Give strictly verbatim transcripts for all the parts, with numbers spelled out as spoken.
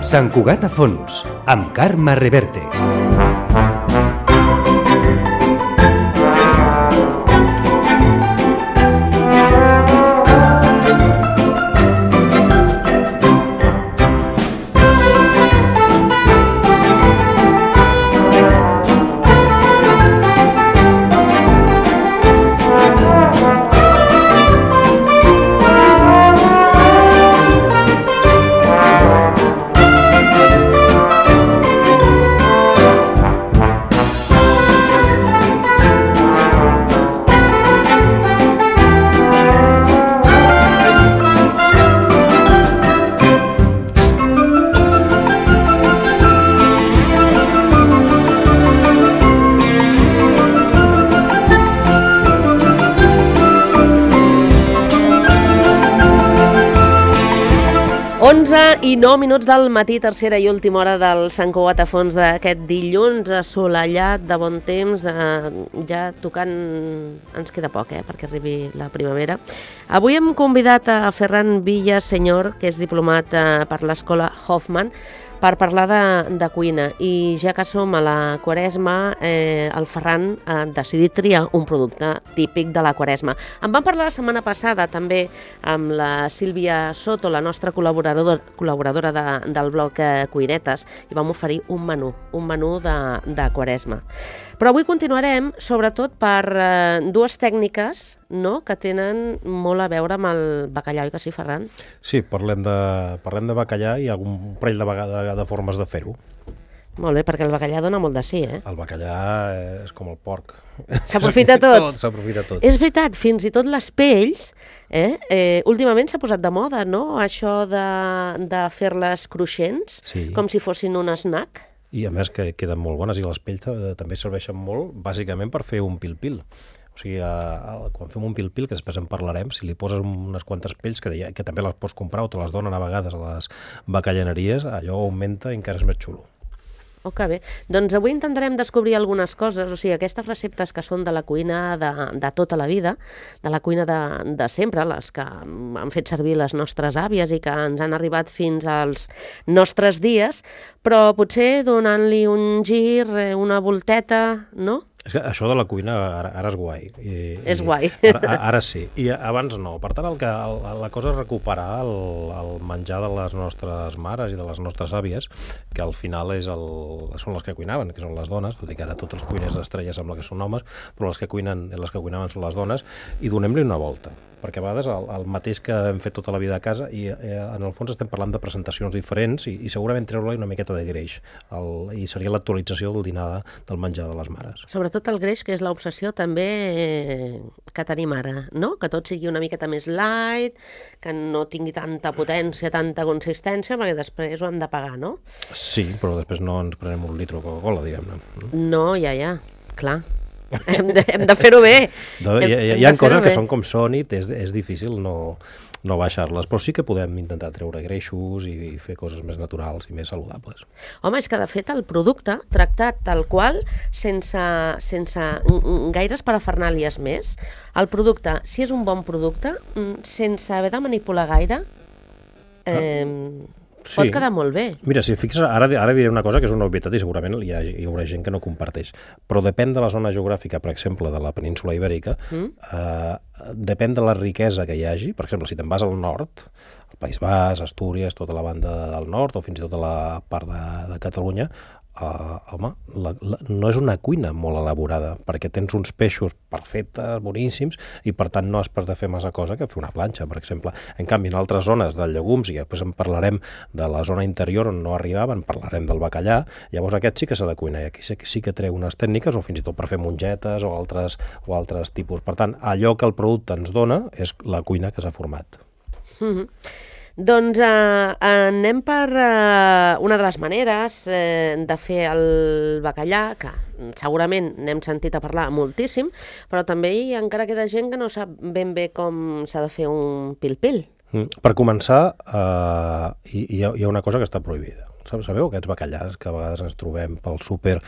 Sant Cugat a fons, amb Carme Reverte. onze i nou minuts del matí, tercera i última hora del Sant Cugat a fons d'aquest dilluns assolellat de bon temps, eh, ja tocant, ens queda poc eh, perquè arribi la primavera. Avui hem convidat a Ferran Villasenyor, que és diplomat eh, per l'Escola Hoffman, per parlar de, de cuina, i ja que som a la Quaresma, eh, el Ferran ha decidit triar un producte típic de la Quaresma. En vam parlar la setmana passada també amb la Sílvia Soto, la nostra col·laboradora, col·laboradora de, del blog eh, Cuinetes, i vam oferir un menú, un menú de, de Quaresma. Però avui continuarem sobretot per eh, dues tècniques, no?, que tenen molt a veure amb el bacallà, oi que sí, Ferran? Sí, parlem de, parlem de bacallà i algun parell de, de, de formes de fer-ho. Molt bé, perquè el bacallà dona molt de sí, eh? El bacallà és com el porc. S'aprofita tot. tot. S'aprofita tot. És veritat, fins i tot les pells, eh? eh últimament s'ha posat de moda, no?, això de, de fer-les cruixents, sí, com si fossin un snack. I a més que queden molt bones, i les pells també serveixen molt, bàsicament per fer un pil-pil. O sigui, a, a, quan fem un pil-pil, que després en parlarem, si li poses unes quantes pells, que, que també les pots comprar o te les donen a vegades a les bacallaneries, allò augmenta i encara és més xulo. Oh, que bé. Doncs avui intentarem descobrir algunes coses, o sigui, aquestes receptes que són de la cuina de, de tota la vida, de la cuina de, de sempre, les que han fet servir les nostres àvies i que ens han arribat fins als nostres dies, però potser donant-li un gir, una volteta, no? És que això de la cuina ara, ara és guai. I, és guai. Ara, ara sí, i abans no. Per tant, el que, el, la cosa és recuperar el, el menjar de les nostres mares i de les nostres àvies, que al final és el, són les que cuinaven, que són les dones, tot i que ara tots els cuiners d'estrella sembla que són homes, però les que, cuinen, les que cuinaven són les dones, i donem-li una volta. Perquè a vegades el, el mateix que hem fet tota la vida a casa, i eh, en el fons estem parlant de presentacions diferents i, i segurament treure-li una miqueta de greix, el, i seria l'actualització del dinar del menjar de les mares. Sobretot el greix, que és l'obsessió també eh, que tenim ara, no? Que tot sigui una miqueta més light, que no tingui tanta potència, tanta consistència, perquè després ho hem de pagar, no? Sí, però després no ens prenem un litre de Coca-Cola, diguem-ne. No, ja, ja, clar. hem de, hem de fer-ho bé. No, hem, hi ha, hi ha coses que són com són i és, és difícil no, no baixar-les, però sí que podem intentar treure greixos i fer coses més naturals i més saludables. Home, és que de fet el producte, tractat tal qual, sense, sense gaires parafernàlies més, el producte, si és un bon producte, sense haver de manipular gaire, eh, sí, pot quedar molt bé. Mira, si fixes, ara, ara diré una cosa que és una obvietat i segurament hi, ha, hi haurà gent que no comparteix, però depèn de la zona geogràfica, per exemple, de la península ibèrica, mm. eh, depèn de la riquesa que hi hagi. Per exemple, si te'n vas al nord, al País Basc, Astúries, tota la banda del nord, o fins i tot a la part de, de Catalunya, Uh, home, la, la, no és una cuina molt elaborada, perquè tens uns peixos perfectes, boníssims, i per tant no has pas de fer massa cosa que fer una planxa, per exemple. En canvi, en altres zones de llegums, i després en parlarem de la zona interior on no arribaven, parlarem del bacallà, llavors aquest sí que s'ha de cuinar, i aquí sí, sí que treu unes tècniques, o fins i tot per fer mongetes o altres, o altres tipus. Per tant, allò que el producte ens dona és la cuina que s'ha format. Mm-hmm. Doncs eh, anem per eh, una de les maneres eh, de fer el bacallà, que segurament n'hem sentit a parlar moltíssim, però també hi encara queda gent que no sap ben bé com s'ha de fer un pil-pil. Mm. Per començar, eh, hi, hi ha una cosa que està prohibida. Sabeu aquests bacallars que a vegades ens trobem pel súper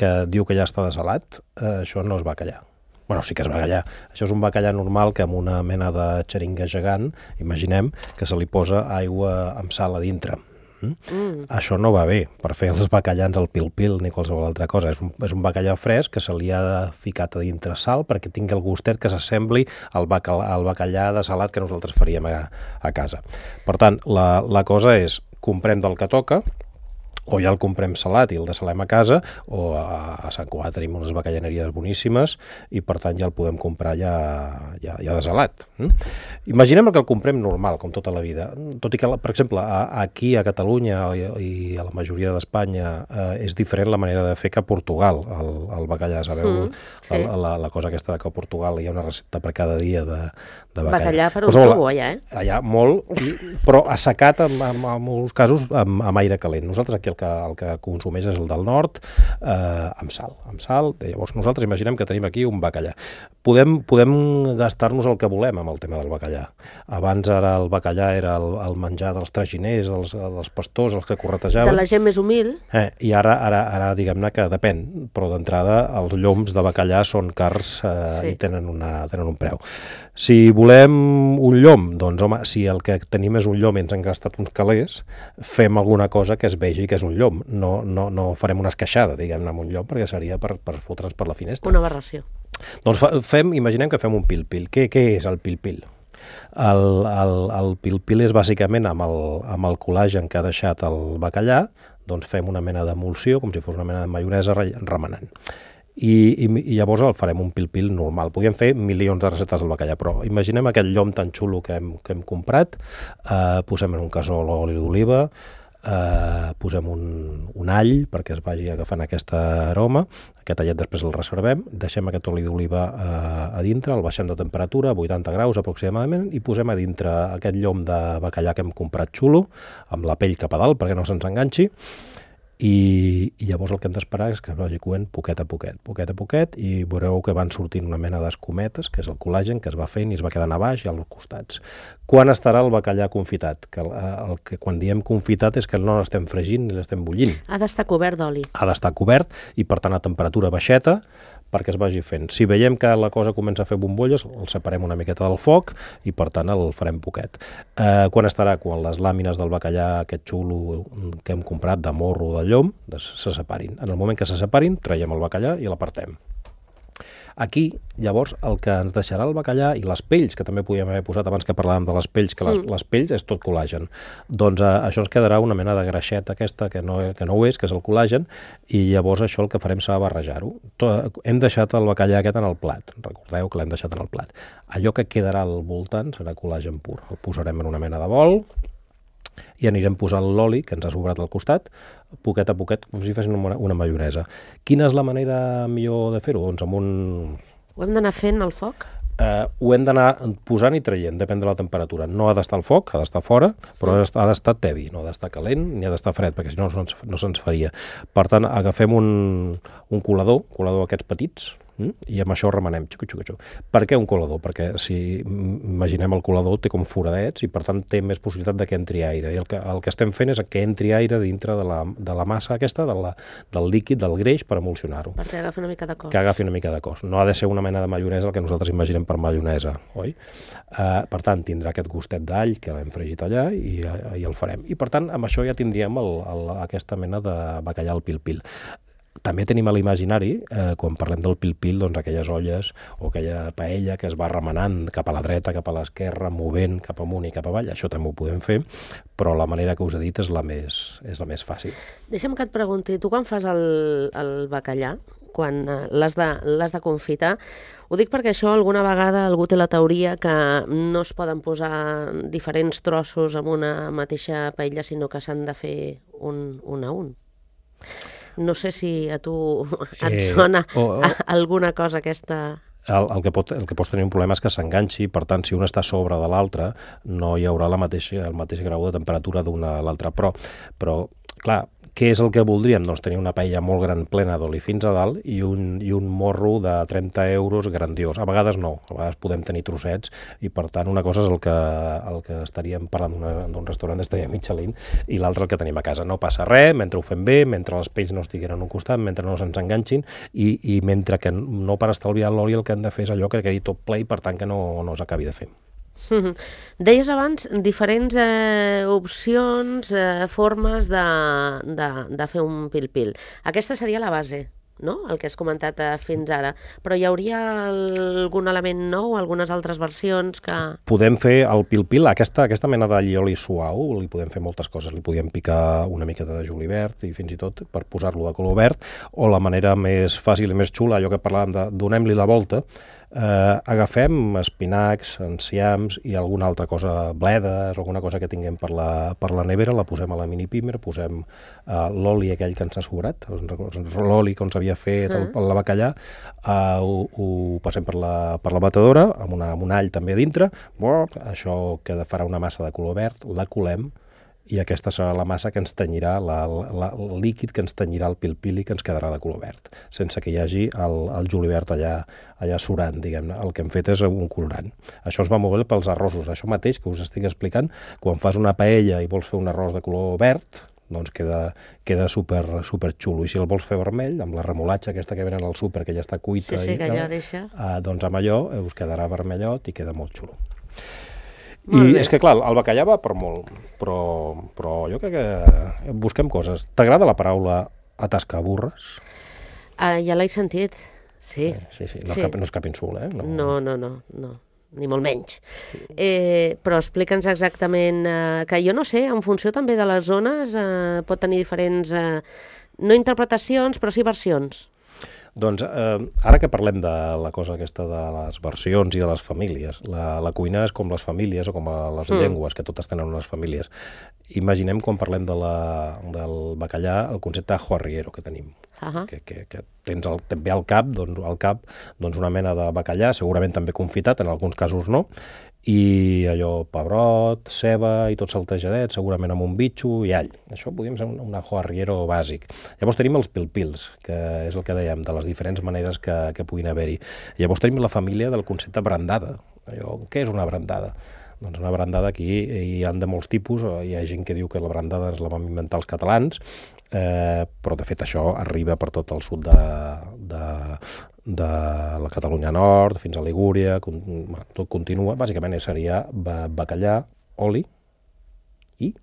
que diu que ja està desalat? Eh, això no és bacallà. Bueno, sí que és bacallà. Això és un bacallà normal que amb una mena de xeringa gegant, imaginem, que se li posa aigua amb sal a dintre. Mm? Mm. Això no va bé per fer els bacallans al pil-pil ni qualsevol altra cosa. És un, és un bacallà fresc que se li ha ficat a dintre sal perquè tingui el gustet que s'assembli al, bacal, al bacallà de salat que nosaltres faríem a, a casa. Per tant, la, la cosa és, comprem del que toca, o ja el comprem salat i el desalem a casa, o a, a Sant Cugat tenim unes bacallaneries boníssimes i per tant ja el podem comprar ja, ja, ja desalat. Mm? Imaginem que el comprem normal, com tota la vida. Tot i que, per exemple, a, aquí a Catalunya i, i a la majoria d'Espanya eh, és diferent la manera de fer que a Portugal, el, el bacallà. Sabeu mm, sí. la, la, la cosa aquesta que a Portugal hi ha una recepta per cada dia de, de bacallà. Bacallà per un tubo, allà, eh? Allà, molt, i, però assecat en, en, en molts casos amb, amb aire calent. Nosaltres aquí el que, el que consumeix és el del nord, eh, amb sal. Amb sal. Llavors nosaltres imaginem que tenim aquí un bacallà. Podem, podem gastar-nos el que volem amb el tema del bacallà. Abans ara el bacallà era el, el menjar dels traginers, dels, dels pastors, els que corretejaven. De la gent més humil. Eh, I ara, ara, ara diguem-ne que depèn, però d'entrada els lloms de bacallà són cars eh, sí. i tenen, una, tenen un preu. Si volem un llom, doncs home, si el que tenim és un llom i ens han gastat uns calés, fem alguna cosa que es vegi que és un llom. No, no, no farem una esqueixada, diguem-ne, amb un llom, perquè seria per, per fotre'ns per la finestra. Una aberració. Doncs fa, fem, imaginem que fem un pil-pil. Què, què és el pil-pil? El, el, el pil-pil és bàsicament amb el, amb el col·lagen que ha deixat el bacallà, doncs fem una mena d'emulsió, com si fos una mena de maionesa remenant. I, i, i llavors el farem un pil-pil normal. Podríem fer milions de receptes del bacallà, però imaginem aquest llom tan xulo que hem, que hem comprat, eh, posem en un casó l'oli d'oliva, eh, posem un, un all perquè es vagi agafant aquesta aroma, aquest allet després el reservem, deixem aquest oli d'oliva eh, a dintre, el baixem de temperatura a vuitanta graus aproximadament i posem a dintre aquest llom de bacallà que hem comprat xulo, amb la pell cap a dalt perquè no se'ns enganxi. I, i llavors el que hem d'esperar és que es vagi coent poquet a poquet, poquet a poquet, i veureu que van sortint una mena d'escumetes, que és el col·lagen, que es va fent i es va quedant a baix i als costats. Quan estarà el bacallà confitat? Que el, el que quan diem confitat és que no l'estem fregint ni l'estem bullint. Ha d'estar cobert d'oli. Ha d'estar cobert i per tant a temperatura baixeta, perquè es vagi fent. Si veiem que la cosa comença a fer bombolles, el separem una miqueta del foc i per tant el farem poquet. Eh, quan estarà? Quan les làmines del bacallà aquest xulo que hem comprat de morro o de llom se separin. En el moment que se separin, traiem el bacallà i l'apartem. Aquí, llavors, el que ens deixarà el bacallà i les pells, que també podíem haver posat abans que parlàvem de les pells, que les, mm. les pells és tot col·lagen. Doncs eh, això ens quedarà una mena de greixeta aquesta que no, que no ho és, que és el col·lagen, i llavors això el que farem serà barrejar-ho. Hem deixat el bacallà aquest en el plat, recordeu que l'hem deixat en el plat. Allò que quedarà al voltant serà col·lagen pur. El posarem en una mena de bol i anirem posant l'oli que ens ha sobrat al costat, poquet a poquet, com si fessin una, una maionesa. Quina és la manera millor de fer-ho? Doncs amb un... Ho hem d'anar fent al foc? Eh, ho hem d'anar posant i traient, depèn de la temperatura. No ha d'estar al foc, ha d'estar fora, però ha d'estar tebi, no ha d'estar calent ni ha d'estar fred, perquè si no no, no se'ns faria. Per tant, agafem un, un colador, colador aquests petits, i amb això remenem. Xucu, xucu, xucu. Per què un colador? Perquè si imaginem el colador té com foradets i per tant té més possibilitat de que entri aire. I el que, el que estem fent és que entri aire dintre de la, de la massa aquesta, de la, del líquid, del greix, per emulsionar-ho. Perquè agafi una mica de cos. Que agafi una mica de cos. No ha de ser una mena de maionesa el que nosaltres imaginem per maionesa, oi? Uh, per tant, tindrà aquest gustet d'all que hem fregit allà i, i el farem. I per tant, amb això ja tindríem el, el, aquesta mena de bacallà al pil-pil. També tenim a l'imaginari, eh, quan parlem del pil-pil, doncs aquelles olles o aquella paella que es va remenant cap a la dreta, cap a l'esquerra, movent cap amunt i cap avall. Això també ho podem fer, però la manera que us he dit és la més, és la més fàcil. Deixa'm que et pregunti, tu quan fas el, el bacallà, quan l'has de, l'has de confitar, ho dic perquè això alguna vegada algú té la teoria que no es poden posar diferents trossos en una mateixa paella, sinó que s'han de fer un, un a un. No sé si a tu et eh, sona oh, oh. alguna cosa aquesta... El, el, que pot, el que pots tenir un problema és que s'enganxi, per tant, si un està a sobre de l'altre, no hi haurà la mateixa, el mateix grau de temperatura d'una a l'altra. Però, però, clar, què és el que voldríem? Doncs tenir una paella molt gran, plena d'oli fins a dalt i un, i un morro de trenta euros grandiós. A vegades no, a vegades podem tenir trossets i, per tant, una cosa és el que, el que estaríem parlant d'un restaurant d'estrella Michelin i l'altre el que tenim a casa. No passa res, mentre ho fem bé, mentre les pells no estiguin en un costat, mentre no se'ns enganxin i, i mentre que no per estalviar l'oli el que hem de fer és allò que quedi tot ple i, per tant, que no, no s'acabi de fer. Deies abans diferents eh, opcions, eh, formes de, de, de fer un pil-pil. Aquesta seria la base, no? El que has comentat eh, fins ara. Però hi hauria algun element nou, algunes altres versions que... Podem fer el pil-pil, aquesta, aquesta mena de llioli suau, li podem fer moltes coses. Li podem picar una miqueta de julivert i fins i tot per posar-lo de color verd, o la manera més fàcil i més xula, allò que parlàvem de donem-li la volta, Eh, agafem espinacs, enciams i alguna altra cosa, bledes, alguna cosa que tinguem per la, per la nevera, la posem a la mini-pimer, posem eh, l'oli aquell que ens ha sobrat, l'oli que ens havia fet el, el bacallà, eh, ho, ho passem per la, per la batedora, amb, una, amb un all també a dintre, això que farà una massa de color verd, la colem, i aquesta serà la massa que ens tenyirà, la, la, el líquid que ens tenyirà el pil-pil i que ens quedarà de color verd, sense que hi hagi el, el julivert allà, allà surant, diguem-ne. El que hem fet és un colorant. Això es va molt bé pels arrossos. Això mateix que us estic explicant, quan fas una paella i vols fer un arròs de color verd, doncs queda, queda super, super xulo. I si el vols fer vermell, amb la remolatxa aquesta que venen al súper, que ja està cuita, sí, sí, i, que allò deixa... eh, doncs amb allò us quedarà vermellot i queda molt xulo. I és que, clar, el bacallà va per molt, però, però jo crec que busquem coses. T'agrada la paraula atascaburres? Ah, ja l'he sentit, sí. Eh, sí, sí, no, sí. Cap, no és cap insult, eh? No, no, no, no, no. Ni molt menys. Eh, però explica'ns exactament, eh, que jo no sé, en funció també de les zones, eh, pot tenir diferents, eh, no interpretacions, però sí versions. Doncs eh, ara que parlem de la cosa aquesta de les versions i de les famílies, la, la cuina és com les famílies o com a les mm. llengües, que totes tenen unes famílies. Imaginem quan parlem de la, del bacallà el concepte ajo arriero que tenim. Uh -huh. que, que, que tens el, també al cap, doncs, al cap doncs una mena de bacallà, segurament també confitat, en alguns casos no, i allò pebrot, ceba i tot saltejadet, segurament amb un bitxo i all. Això podríem ser un, un ajo arriero bàsic. Llavors tenim els pil-pils, que és el que dèiem, de les diferents maneres que, que puguin haver-hi. Llavors tenim la família del concepte brandada. Allò, què és una brandada? Doncs una brandada aquí hi ha de molts tipus, hi ha gent que diu que la brandada ens la vam inventar els catalans, eh, però de fet això arriba per tot el sud de, de, de la Catalunya Nord, fins a Ligúria, con, tot continua, bàsicament seria bacallà, oli i...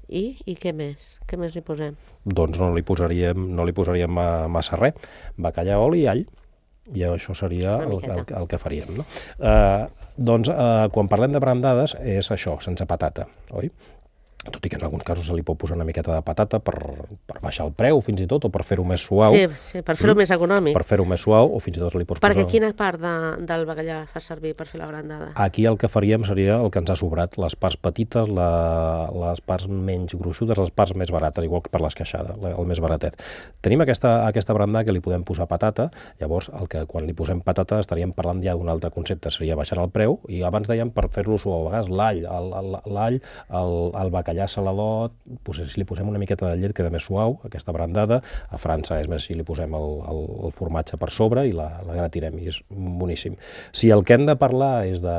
I? I què més? Què més hi posem? Doncs no li posaríem, no li posaríem massa res, bacallà, oli i all. I això seria el, el, el que faríem, no? Eh, doncs, eh, quan parlem de brandades, és això, sense patata, oi? Tot i que en alguns casos se li pot posar una miqueta de patata per, per baixar el preu, fins i tot, o per fer-ho més suau. Sí, sí, per fer-ho mm? més econòmic. Per fer-ho més suau, o fins i tot li pots Perquè posar... quina part de, del bacallà fa servir per fer la brandada? Aquí el que faríem seria el que ens ha sobrat, les parts petites, la, les parts menys gruixudes, les parts més barates, igual que per l'esqueixada, el més baratet. Tenim aquesta, aquesta brandada que li podem posar patata, llavors el que quan li posem patata estaríem parlant ja d'un altre concepte, seria baixar el preu, i abans dèiem per fer-lo suau, a vegades l'all, l'all, el, el bacallà saladot, si li posem una miqueta de llet queda més suau, aquesta brandada. A França és més si li posem el, el, el formatge per sobre i la, la gratirem, i és boníssim. Si el que hem de parlar és de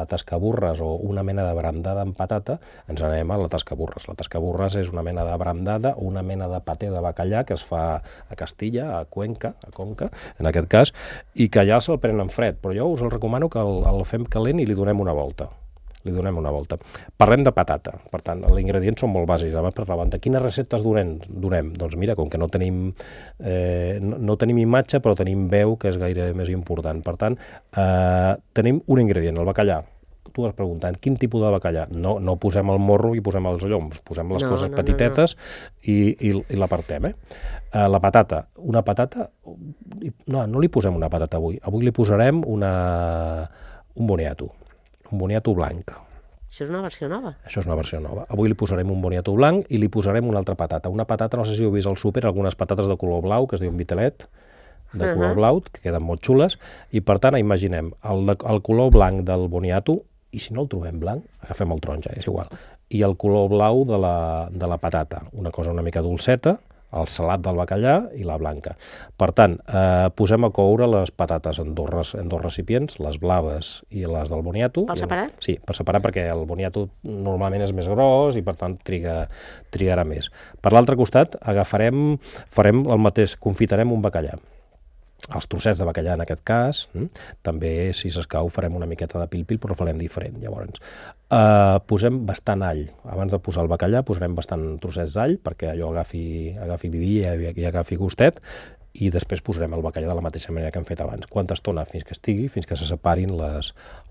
tascaburres o una mena de brandada amb patata, ens anem a la tascaburres. La tascaburres és una mena de brandada, una mena de paté de bacallà que es fa a Castilla, a Cuenca, a Conca, en aquest cas, i que ja se'l prenen fred, però jo us el recomano que el, el fem calent i li donem una volta. li donem una volta. Parlem de patata, per tant, els ingredients són molt bàsics. Abans per la banda, quines receptes donem? donem? Doncs mira, com que no tenim, eh, no, no tenim imatge, però tenim veu, que és gaire més important. Per tant, eh, tenim un ingredient, el bacallà. Tu has preguntat, quin tipus de bacallà? No, no posem el morro i posem els lloms, posem les no, coses no, petitetes no, no. i, i, i l'apartem, eh? Uh, la patata, una patata... No, no li posem una patata avui. Avui li posarem una... un boniato. Un boniato blanc. Això és una versió nova. Això és una versió nova. Avui li posarem un boniato blanc i li posarem una altra patata. Una patata, no sé si heu vist al súper, algunes patates de color blau, que es diuen vitelet, de uh-huh. color blau, que queden molt xules, i per tant, imaginem el, de, el color blanc del boniato, i si no el trobem blanc, agafem el taronja, és igual, i el color blau de la, de la patata, una cosa una mica dolceta, el salat del bacallà i la blanca. Per tant, eh, posem a coure les patates en dos, en dos recipients, les blaves i les del boniato. Per separat? Sí, per separat, perquè el boniato normalment és més gros i per tant triga, trigarà més. Per l'altre costat, agafarem, farem el mateix, confitarem un bacallà. els trossets de bacallà en aquest cas. Mm? També, si s'escau, farem una miqueta de pil-pil, però ho farem diferent. Llavors, eh, posem bastant all. Abans de posar el bacallà, posarem bastant trossets d'all perquè allò agafi, agafi vidilla i, i agafi gustet, i després posarem el bacallà de la mateixa manera que hem fet abans. Quanta estona? Fins que estigui, fins que se separin les,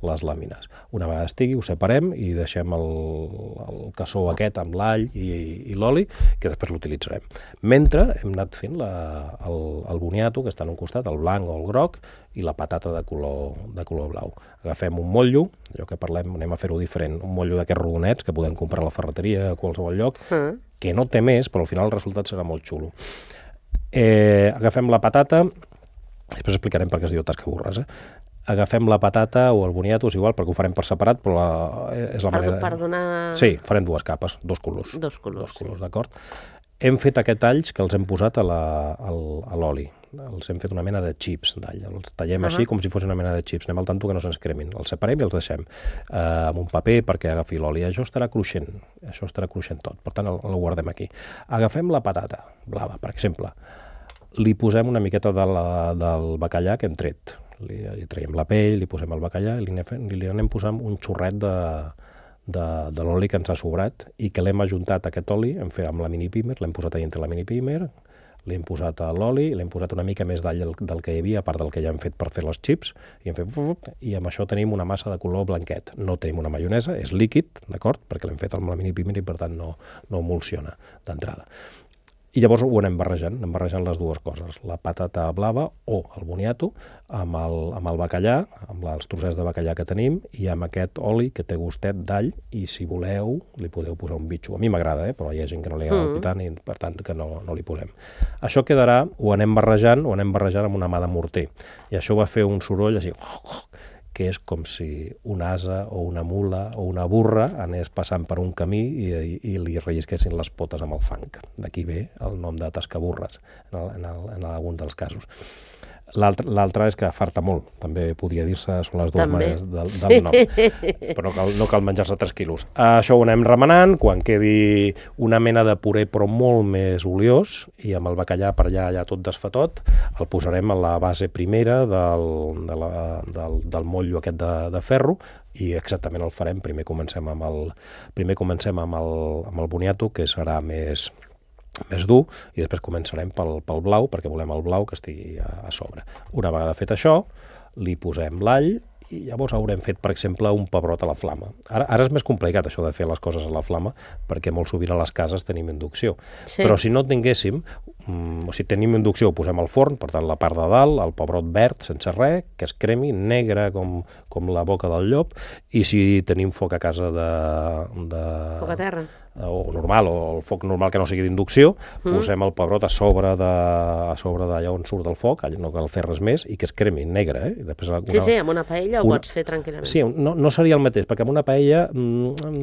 les làmines. Una vegada estigui, ho separem i deixem el, el cassó aquest amb l'all i, i l'oli, que després l'utilitzarem. Mentre hem anat fent la, el, el boniato, que està en un costat, el blanc o el groc, i la patata de color, de color blau. Agafem un motllo, allò que parlem, anem a fer-ho diferent, un motllo d'aquests rodonets que podem comprar a la ferreteria a qualsevol lloc, mm. que no té més, però al final el resultat serà molt xulo. Eh, agafem la patata, després explicarem per què es diu tascaburres, eh? Agafem la patata o el boniato, és igual, perquè ho farem per separat, però la, és la per, manera... Per donar... Sí, farem dues capes, dos colors. Dos colors, dos colors sí. D'acord. Hem fet aquests talls que els hem posat a l'oli. Els hem fet una mena de xips d'all. Els tallem uh-huh. així com si fos una mena de xips. Anem al tanto que no se'ns cremin. Els separem i els deixem eh, amb un paper perquè agafi l'oli. Això estarà cruixent. Això estarà cruixent tot. Per tant, el, el guardem aquí. Agafem la patata blava, per exemple. Li posem una miqueta de la, del bacallà que hem tret. Li, li traiem la pell, li posem el bacallà i li anem, li anem posant un xorret de, de, de l'oli que ens ha sobrat i que l'hem ajuntat aquest oli, hem fet amb la mini pimer, l'hem posat a dintre la mini pimer, li hem posat l'oli, l'hem posat una mica més d'all del que hi havia, a part del que ja hem fet per fer les xips, i, hem fet, i amb això tenim una massa de color blanquet. No tenim una maionesa, és líquid, d'acord? Perquè l'hem fet amb la mini pimer i per tant no, no emulsiona d'entrada. I llavors ho anem barrejant, anem barrejant les dues coses, la patata blava o el boniato amb el, amb el bacallà, amb els trossets de bacallà que tenim i amb aquest oli que té gustet d'all i si voleu li podeu posar un bitxo. A mi m'agrada, eh? Però hi ha gent que no li agrada mm. tant i per tant que no, no li posem. Això quedarà, ho anem barrejant, ho anem barrejant amb una mà de morter i això va fer un soroll així... que és com si un ase o una mula o una burra anés passant per un camí i, i, i li rellisquessin les potes amb el fang. D'aquí ve el nom de tascaburres, en, el, en, el, en algun dels casos. L'altre és que farta molt, també podria dir-se, són les dues també. Maneres del, del nom, però no cal, no cal menjar-se tres quilos. Això ho anem remenant, quan quedi una mena de puré però molt més oliós, i amb el bacallà per allà, allà tot desfatot, el posarem a la base primera del, de la, del, del motllo aquest de, de ferro, i exactament el farem, primer comencem amb el, primer comencem amb el, amb el boniato, que serà més... més dur, i després començarem pel, pel blau, perquè volem el blau que estigui a, a sobre. Una vegada fet això, li posem l'all, i llavors haurem fet, per exemple, un pebrot a la flama. Ara, ara és més complicat això de fer les coses a la flama, perquè molt sovint a les cases tenim inducció. Sí. Però si no tinguéssim, um, o si tenim inducció, ho posem al forn, per tant, la part de dalt, el pebrot verd, sense res, que es cremi, negre com, com la boca del llop, i si tenim foc a casa de... de... Foc a terra. o normal, o el foc normal que no sigui d'inducció, mm. posem el pebrot a sobre de, a sobre d'allà on surt del foc, no cal fer res més, i que es cremi negre. Eh? I després una, sí, sí, amb una paella ho una, pots fer tranquil·lament. Sí, no, no seria el mateix, perquè amb una paella...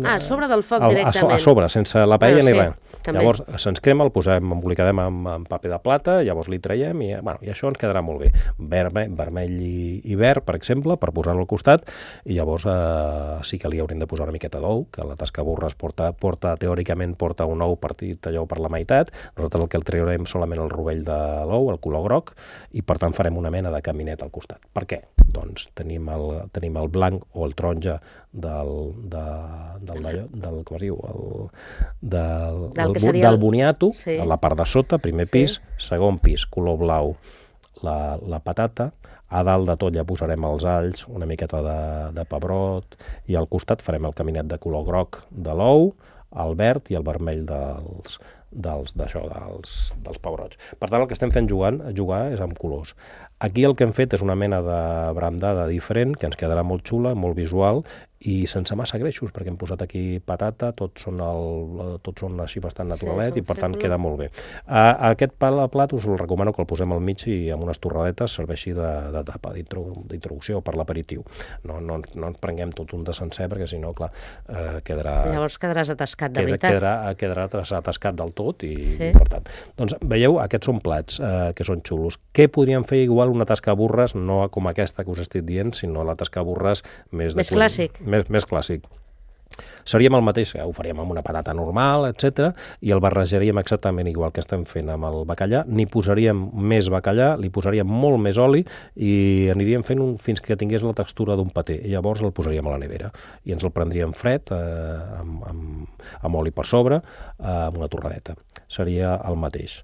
Ah, a sobre del foc a, directament. A, a sobre, sense la paella bueno, ni sí, res. També. Llavors se'ns crema, el posem, embolicadem amb, amb paper de plata, llavors li traiem i, bueno, i això ens quedarà molt bé. Vermell, vermell i, i verd, per exemple, per posar-lo al costat, i llavors eh, sí que li haurem de posar una miqueta d'ou, que la tascaburres porta, porta, teòricament porta un ou partit allò per la meitat. Nosaltres el que el traurem solament el rovell de l'ou, el color groc, i per tant farem una mena de caminet al costat. Per què? Doncs tenim el, tenim el blanc o el taronja del, de, del, del, del, com es diu? El, del, del, del, del boniato, sí. A la part de sota, primer pis, sí. Segon pis, color blau, la, la patata, a dalt de tot ja posarem els alls, una miqueta de, de pebrot, i al costat farem el caminet de color groc de l'ou, el verd i el vermell dels, dels, d'això, dels, dels pebrots. Per tant, el que estem fent jugant, jugar és amb colors. Aquí el que hem fet és una mena de brandada diferent, que ens quedarà molt xula, molt visual, i sense massa greixos, perquè hem posat aquí patata, tots són, el, tots són així bastant naturalet, sí, i per tant febro. Queda molt bé. A, a aquest plat us el recomano que el posem al mig i amb unes torradetes serveixi de, de tapa, d'introducció per l'aperitiu. No, no, no ens prenguem tot un de sencer, perquè si no, clar, eh, quedarà... Llavors quedaràs atascat, de queda, veritat. Quedarà, quedarà atascat del tot, i, sí. i per tant... Doncs veieu, aquests són plats eh, que són xulos. Què podríem fer igual una tasca burres, no com aquesta que us estic dient, sinó la tasca burres més... Més clàssic. Més, més clàssic. Seríem el mateix, ho faríem amb una patata normal, etcètera, i el barrejaríem exactament igual que estem fent amb el bacallà, n'hi posaríem més bacallà, li posaríem molt més oli i aniríem fent un, fins que tingués la textura d'un paté, i llavors el posaríem a la nevera i ens el prendríem fred, eh, amb, amb, amb oli per sobre, eh, amb una torradeta. Seria el mateix.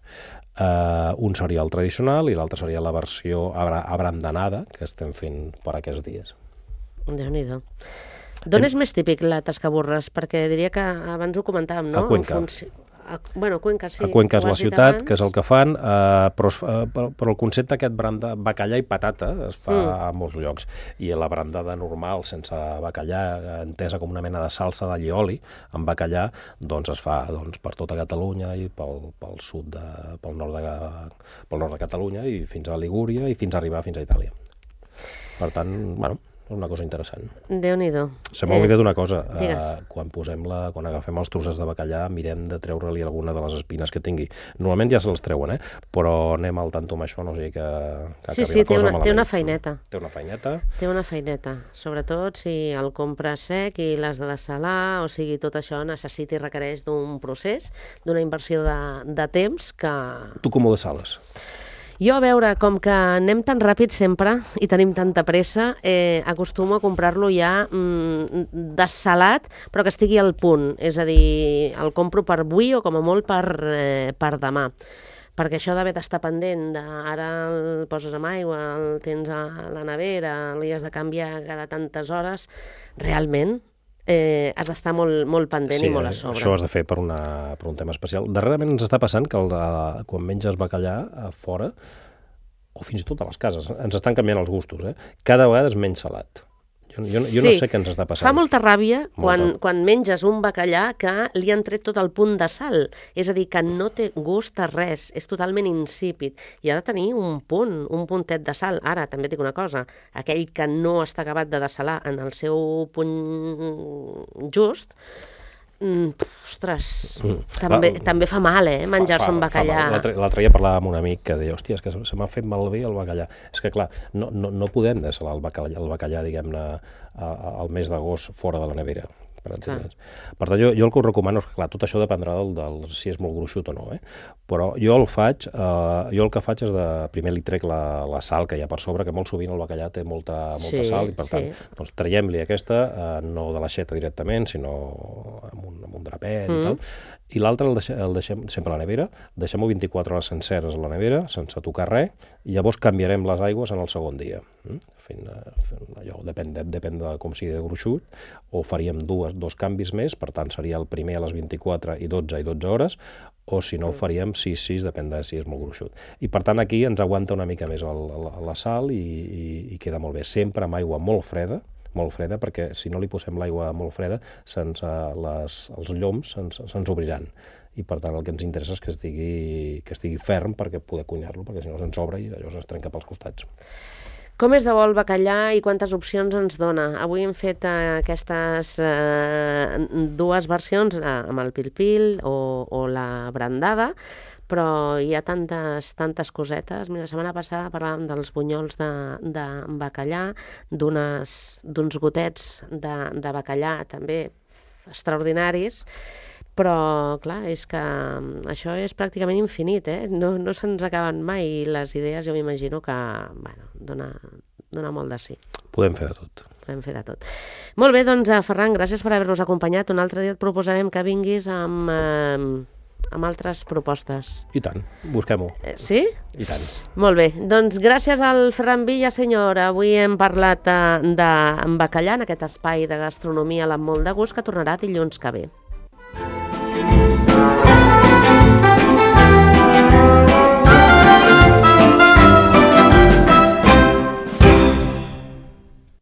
Uh, un seria el tradicional i l'altre seria la versió abra abrandanada que estem fent per aquests dies. Déu-n'hi-do. D'on és més típic la tascaburres? Perquè diria que abans ho comentàvem, no? A Cuenca. Funci... A... Bueno, Cuenca sí. A Cuenca és la ciutat, abans. Que és el que fan, uh, però, uh, però, però el concepte aquest branda, bacallà i patata es fa mm. a molts llocs. I la brandada normal, sense bacallà, entesa com una mena de salsa d'all i oli, amb bacallà, doncs es fa doncs, per tota Catalunya i pel, pel sud, de, pel, nord de, pel nord de Catalunya i fins a Ligúria i fins a arribar fins a Itàlia. Per tant, bueno, és una cosa interessant. Déu-n'hi-do. Se m'ha oblidat una cosa. Uh, quan posem la, quan agafem els trossets de bacallà, mirem de treure-li alguna de les espines que tingui. Normalment ja se les treuen, eh? Però anem al tanto amb això, no sigui que, que sí, acabi sí, la cosa té una, malament. té una feineta. Té una feineta. Té una feineta. Sobretot si el compres sec i l'has de dessalar, o sigui, tot això necessita i requereix d'un procés, d'una inversió de, de temps que... Tu com ho dessales? Jo, a veure, com que anem tan ràpid sempre i tenim tanta pressa, eh, acostumo a comprar-lo ja mm, dessalat, però que estigui al punt. És a dir, el compro per avui o com a molt per, eh, per demà. Perquè això d'haver d'estar pendent, de, ara el poses amb aigua, el tens a la nevera, li has de canviar cada tantes hores, realment... Eh, has d'estar molt, molt pendent sí, i molt a sobre. Això ho has de fer per, una, per un tema especial. Darrerament ens està passant que el, uh, quan menges bacallà a fora, o fins i tot a les cases, ens estan canviant els gustos. Eh? Cada vegada és menys salat. Jo, jo, jo sí. no sé què ens està passant. Fa molta ràbia quan, molta. quan menges un bacallà que li han tret tot el punt de sal. És a dir, que no té gust a res, és totalment insípid. I ha de tenir un punt, un puntet de sal. Ara, també et dic una cosa, aquell que no està acabat de dessalar en el seu punt just, Mm, ostres, mm. També, va, també fa mal, eh, menjar-se un bacallà. L'altre dia parlàvem amb un amic que deia, hòstia, és que se m'ha fet malbé el bacallà. És que, clar, no, no, no podem dessalar el bacallà, el bacallà diguem-ne, al mes d'agost fora de la nevera. Per, per tant, jo, jo el que us recomano és que, clar, tot això dependrà del, del si és molt gruixut o no, eh? Però jo el faig, eh, jo el que faig és de, primer li trec la, la sal que hi ha per sobre, que molt sovint el bacallà té molta, molta sí, sal, i per sí. tant, doncs traiem-li aquesta, eh, no de l'aixeta directament, sinó amb un, amb un drapet mm. i tal, i l'altre el, deixem, el deixem sempre a la nevera, deixem-ho vint-i-quatre hores senceres a la nevera, sense tocar res, i llavors canviarem les aigües en el segon dia. Mm? Fent, fent allò, depèn, de, depèn de com sigui de gruixut, o faríem dues, dos canvis més, per tant seria el primer a les vint-i-quatre i dotze i dotze hores, o si no ho faríem sis sis, depèn de si és molt gruixut. I per tant aquí ens aguanta una mica més el, la, la sal i, i, i queda molt bé. Sempre amb aigua molt freda, molt freda, perquè si no li posem l'aigua molt freda, sense les, els lloms se'ns se obriran. I per tant el que ens interessa és que estigui, que estigui ferm perquè poder cuinar-lo, perquè si no se'ns obre i allò es trenca pels costats. Com és de bo el bacallà i quantes opcions ens dona? Avui hem fet eh, aquestes eh, dues versions, eh, amb el pil-pil o, o la brandada, però hi ha tantes, tantes cosetes. Mira, la setmana passada parlàvem dels bunyols de, de bacallà, d'uns gotets de, de bacallà també extraordinaris, però, clar, és que això és pràcticament infinit, eh? No, no se'ns acaben mai i les idees jo m'imagino que, bueno, dona, dona molt de sí. Podem fer de tot. Podem fer de tot. Molt bé, doncs, Ferran, gràcies per haver-nos acompanyat. Un altre dia et proposarem que vinguis amb, eh, amb altres propostes. I tant, busquem-ho. Eh, sí? I tant. Molt bé, doncs gràcies al Ferran Villasenyor. Avui hem parlat de, de bacallà en aquest espai de gastronomia amb molt de gust que tornarà dilluns que ve.